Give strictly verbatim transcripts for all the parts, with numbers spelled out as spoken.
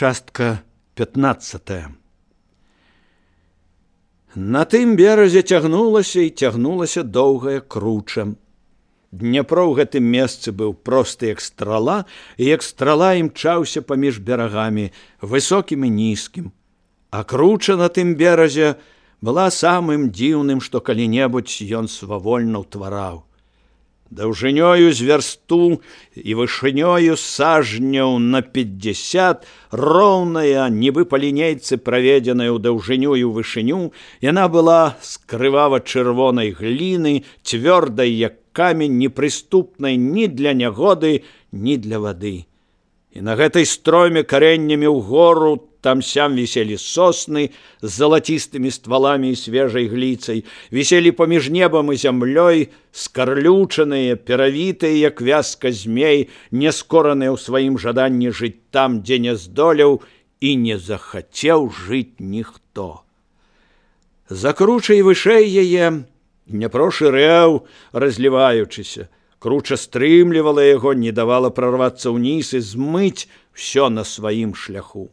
Частка пятнадцатая. На тым беразе цягнулася і цягнулася доўгая круча. Дняпро ў гэтым месцы быў просты як страла, і як страла імчаўся паміж берагамі, высокім і нізкім. А круча на тым беразе была самым дзіўным, што калі-небудзь ён свавольна ўтвараў. Даўжынёю з вярсту і вышынёю сажняў на пятьдесят, роўная, нібы па лінейцы праведзеная ў даўжыню і ў вышыню, яна была з крывава-чырвонай гліны, цвёрдай, як камень, непрыступнай ні для нягоды, ні для вады. І на гэтай строме карэннямі ўгору там-сям віселі сосны з залацістымі стваламі і свежай гліцай, віселі паміж небам і зямлёй, скарлючаныя, перавітыя, як вязка змей, няскораныя ў сваім жаданні жыць там, дзе не здолеў і не захацеў жыць ніхто. За кручай вышэй яе Дняпро шырэў, разліваючыся. Круча стрымлівала яго, не давала прарвацца ўніз і змыць усё на сваім шляху.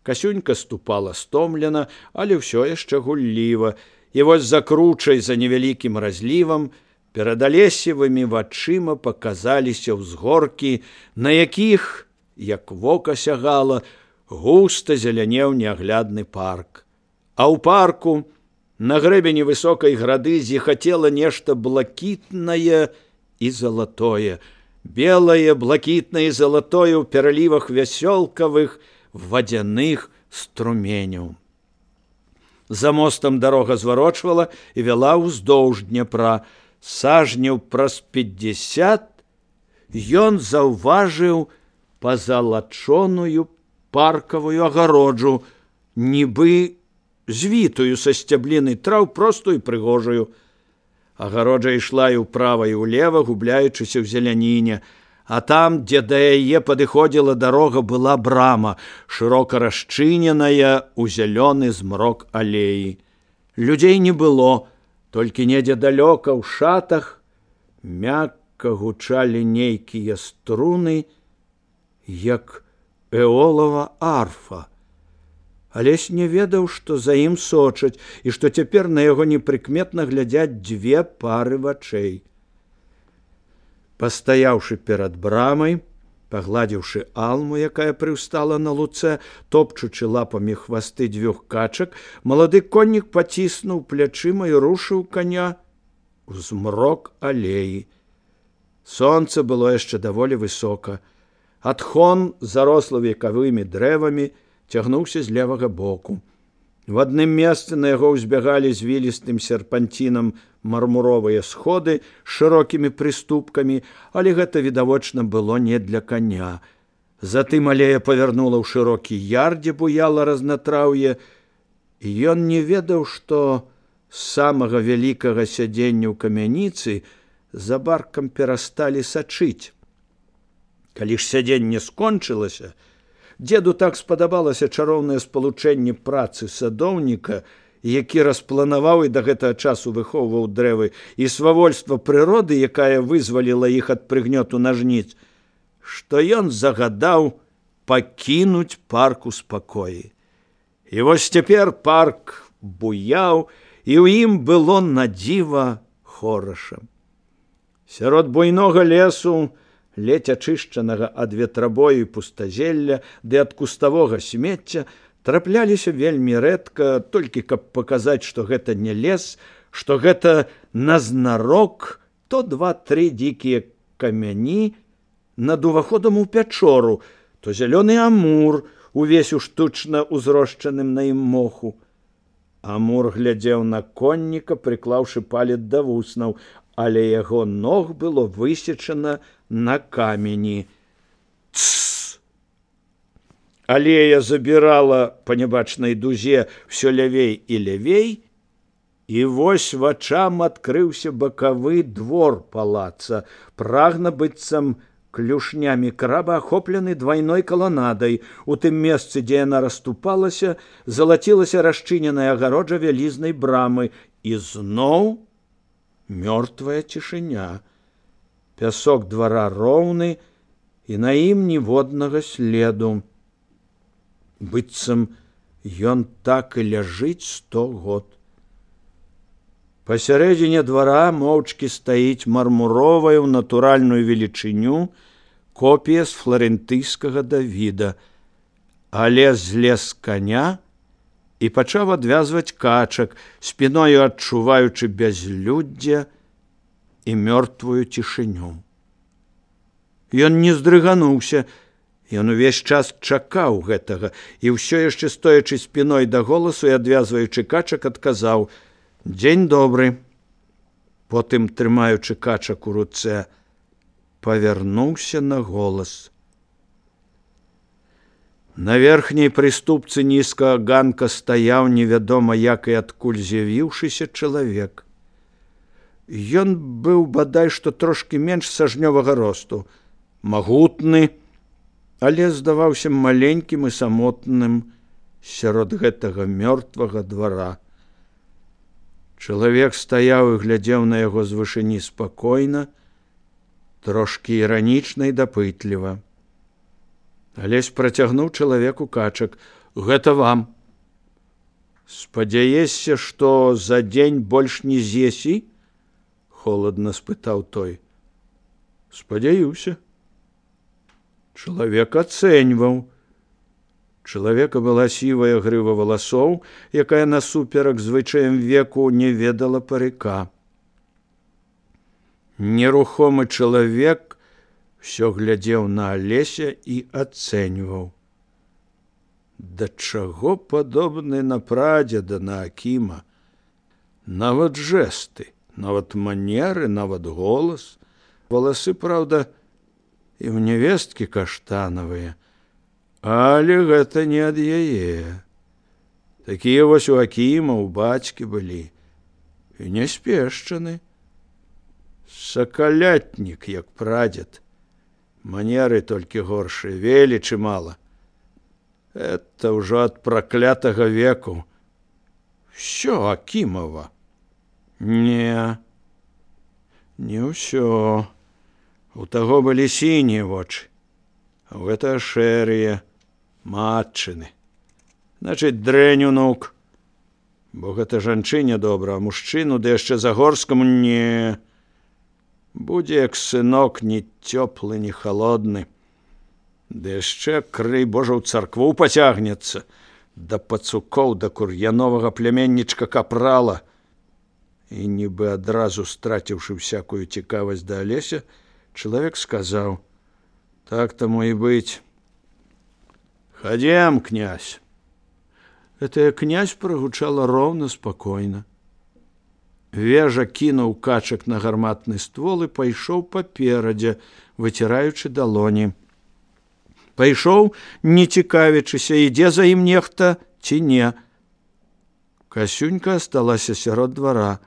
Касюнька ступала стомлена, але ўсё яшчэ гулліва, і вось за кручай, за невялікім разлівам, перад алесевымі вачыма паказаліся ўзгоркі, на якіх, як вока сягала, густа зелянеў неаглядны парк. А ў парку, на грэбені высокай грады, зіхацела нешта блакітнае і залатое, белае, блакітнае і залатое ў пералівах вясёлкавых вадзяных струменяў. За мостам дарога зварочвала і вяла ўздоўж Дняпра. Сажняў праз пятьдесят ён заўважыў пазалачоную паркавую агароджу, нібы звітую са сцябліны траў, простую і прыгожую. Агароджа ішла і ўправа і ўлева, губляючыся ў зеляніне, а там, дзе да яе падыходзіла дарога, была брама, шырока расчыненая ў зялёны змрок алеі. Людзей не было, толькі недзе далёка ў шатах мякка гучалі нейкія струны, як эолава арфа. Алесь не ведаў, што за ім сочаць, і што цяпер на яго непрыкметна глядзяць дзве пары вачэй. Пастаяўшы перад брамай, пагладзіўшы алму, якая прыўстала на луцэ, топчучы лапамі хвасты дзвюх качак, малады коннік паціснуў плячыма і рушыў каня ў змрок алеі. Сонца было яшчэ даволі высока. Адхон, зарослы векавымі дрэвамі, цягнуўся з левага боку. В адным месцы на яго ўзбягалі звілістым серпанцінам мармуровыя сходы з шырокімі прыступкамі, але гэта, відавочна, было не для коня. Затым алея павярнула ў шырокі яр, дзе буяла разнатраўе, і ён не ведаў, што з самага вялікага сядзення ў камяніцы за баркам перасталі сачыць. Калі ж сядзенне скончылася, дзеду так спадабалася чароўнае спалучэнне працы садоўніка, які распланаваў і да гэтага часу выхоўваў дрэвы, і свавольства прыроды, якая вызваліла іх ад прыгнёту нажніц, што ён загадаў пакінуць парк у спакоі. І вось цяпер парк буяў, і ў ім было надзіва хораша. Сярод буйнога лесу, ледзь ачышчанага ад ветрабою і пустазелля ды ад куставога смецця, трапляліся вельмі рэдка, толькі каб паказаць, што гэта не лес, што гэта назнарок то два-тры дзікія камяні над уваходам у пячору, то зялёны амур, увесь у штучна узрошчаным на ім моху. Амур глядзеў на конніка, прыклаўшы палец да вуснаў, але яго ног было высечана на камені. Тсс! Алея забірала па нябачнай дузе ўсё лявей і лявей, і вось вачам адкрыўся бакавы двор палаца, прагна быццам клюшнямі краба, ахоплены двайной каланадай. У тым месцы, дзе яна расступалася, залацілася расчыненая агароджа вялізнай брамы, і зноў мёртвая цішыня. Пясок двара роўны, і на ім ніводнага следу. быццам ён так і ляжыць сто год. Пасярэдзіне двара моўчкі стаіць мармуровая ў натуральную велічыню копія з фларэнтыйскага Давіда. Але злез з каня і пачаў адвязваць качак, спіною адчуваючы бязлюддзе і мёртвую цішыню. Ён не здрыгануўся, ён увесь час чакаў гэтага і ўсё яшчэ стоячы спіной да голасу і адвязваючы качак, адказаў: «Дзень добры». Потым, трымаючы качак у руцэ, павярнуўся на голас. На верхняй прыступцы нізкага ганка стаяў невядома як і адкуль з'явіўшыся чалавек. Ён быў бадай што трошкі менш сажнёвага росту, магутны, але здаваўся маленькім і самотным сярод гэтага мёртвага двара. Чалавек стаяў і глядзеў на яго з вышыні спакойна, трошкі іранічна і дапытліва. Алесь працягнуў чалавеку качак: «Гэта вам. Спадзяешся, што за дзень больш не з'есі?» – холадна спытаў той. «Спадзяюся». Чалавек ацэньваў. Чалавека была сівая грыва валасоў, якая насуперак звычаям веку не ведала парыка. Нерухомы чалавек усё глядзеў на Алеся і ацэньваў. Да чаго падобны на прадзеда, на Акіма? Нават жэсты, нават манеры, нават голас. Валасы, праўда, і ў нявесткі каштанавыя, але гэта не ад яе. Такія вось у Акіма, у бацькі былі. І не спешчаны. Сакалятнік, як прадзед. Манеры толькі горшыя, велічы мала. Это ўжо ад праклятага веку. Всё Акімова. Не, не ўсё. У таго былі сінія вочы, а ў гэта шэрыя, матчыны. Значыць, дрэнь унук. Бо гэта жанчыне добра, а мужчыну, ды яшчэ загорскаму не. Будзе як сынок, ні цёплы, ні халодны. Ды яшчэ, крый Божа, ў царкву пацягнецца, да пацукоў, да кур'яновага пляменнічка капрала. І нібы адразу страціўшы всякую цікавасць да Алеся, чалавек сказаў: «Так тому і быць. Хадзем, князь». Гэтая князь прагучала роўна, спакойна. Вежа кінуў качак на гарматны ствол і пайшоў паперадзе, выціраючы далоні. Пайшоў, не цікавячыся, ідзе за ім нехта ці не. Касюнька асталася сярод двара,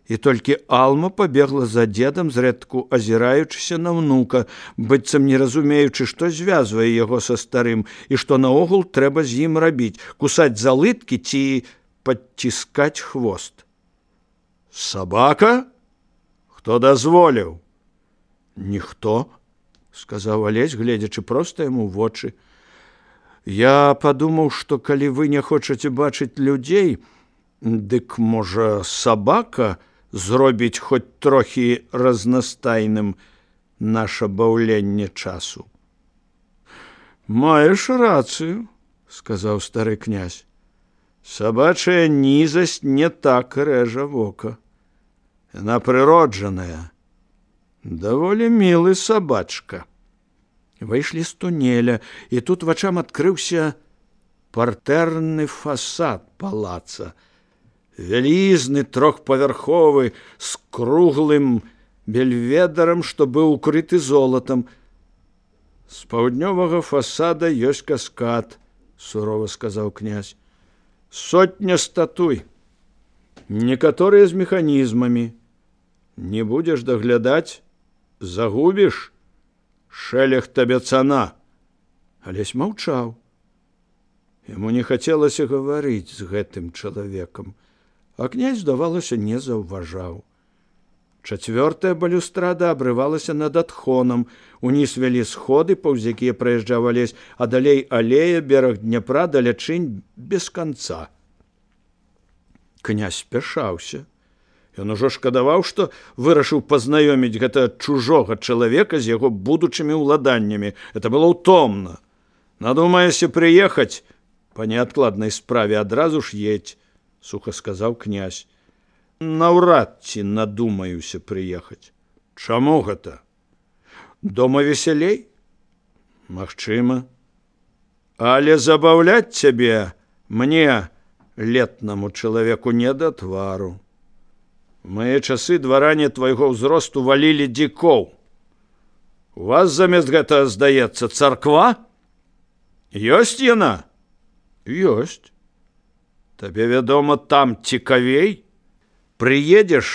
і толькі Алма пабегла за дзедам, зрэдку азіраючыся на ўнука, быццам не разумеючы, што звязвае яго са старым і што наогул трэба з ім рабіць: кусаць за лыткі ці падціскаць хвост. «Сабака? Хто дазволіў?» «Ніхто», – сказаў Алесь, гледзячы проста яму ў вочы. «Я падумаў, што калі вы не хочаце бачыць людзей, дык, можа, сабака зробіць хоць трохі разнастайным наша баўленне часу». «Маеш рацыю», – сказаў стары князь. «Сабачая нізасць не так рэжа вока. Яна прыроджаная. Даволі мілы сабачка». Выйшлі з тунеля, і тут вачам адкрыўся партэрны фасад палаца. Вялізны, трохпавярховы, з круглым бельведарам, што быў укрыты золатам. «З паўднёвага фасада ёсць каскад», – сурова сказаў князь. «Сотня статуй, некаторыя з механізмамі. Не будзеш даглядаць, загубіш, шэлег табе цана». Алесь маўчаў. Яму не хацелася гаварыць з гэтым чалавекам, а князь, здавалася, не заўважаў. Чацвёртая балюстрада абрывалася над адхонам. Уніз вялі сходы, паўз якія праязджаў Алесь, а далей алея, бераг Дняпра, далячынь без канца. Князь спяшаўся. Ён ужо шкадаваў, што вырашыў пазнаёміць гэта чужога чалавека з яго будучымі ўладаннямі. Это было ўтомна. Надумаешся прыехаць? Па неадкладнай справе адразу ж едзь, суха сказаў князь. Наўрад ці надумаюся прыехаць. Чаму гэта? Дома весялей? Магчыма. Але забаўляць цябе мне, летнаму чалавеку, не да твару. У мае часы дваране твайго ўзросту валілі дзікоў. У вас замест гэта, здаецца, царква? Ёсць яна? Ёсць. Табе, вядома, там цікавей? Прыедзеш,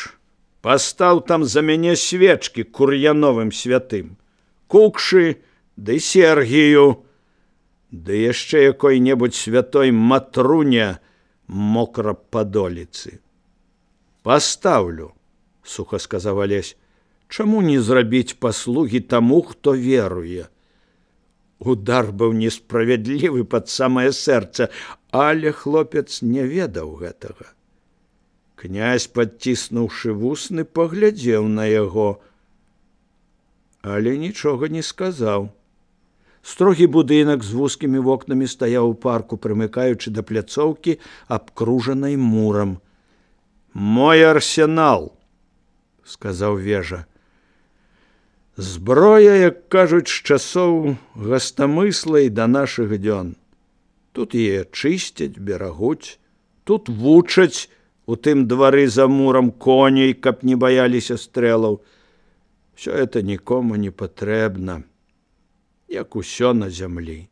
пастаў там за мяне свечкі Кур'яновым святым, Кукшы ды Сергію, ды яшчэ якой-небудзь святой Матруне Мокрападоліцы. Пастаўлю, суха сказаў Алесь. Чаму не зрабіць паслугі таму, хто веруе? Удар быў несправядлівы пад самае сэрца, але хлопец не ведаў гэтага. Князь, падціснуўшы вусны, паглядзеў на яго, але нічога не сказаў. Строгі будынак з вузкімі вокнамі стаяў у парку, прымыкаючы да пляцоўкі, абкружанай мурам. Мой арсенал, сказаў вежа. Зброя, як кажуць, з часоў гастамысла і да нашых дзён. Тут яе чысцяць, берагуць, тут вучаць, у тым двары за мурам коней, каб не баяліся стрэлаў. Всё это нікому не патрэбна, як усё на зямлі.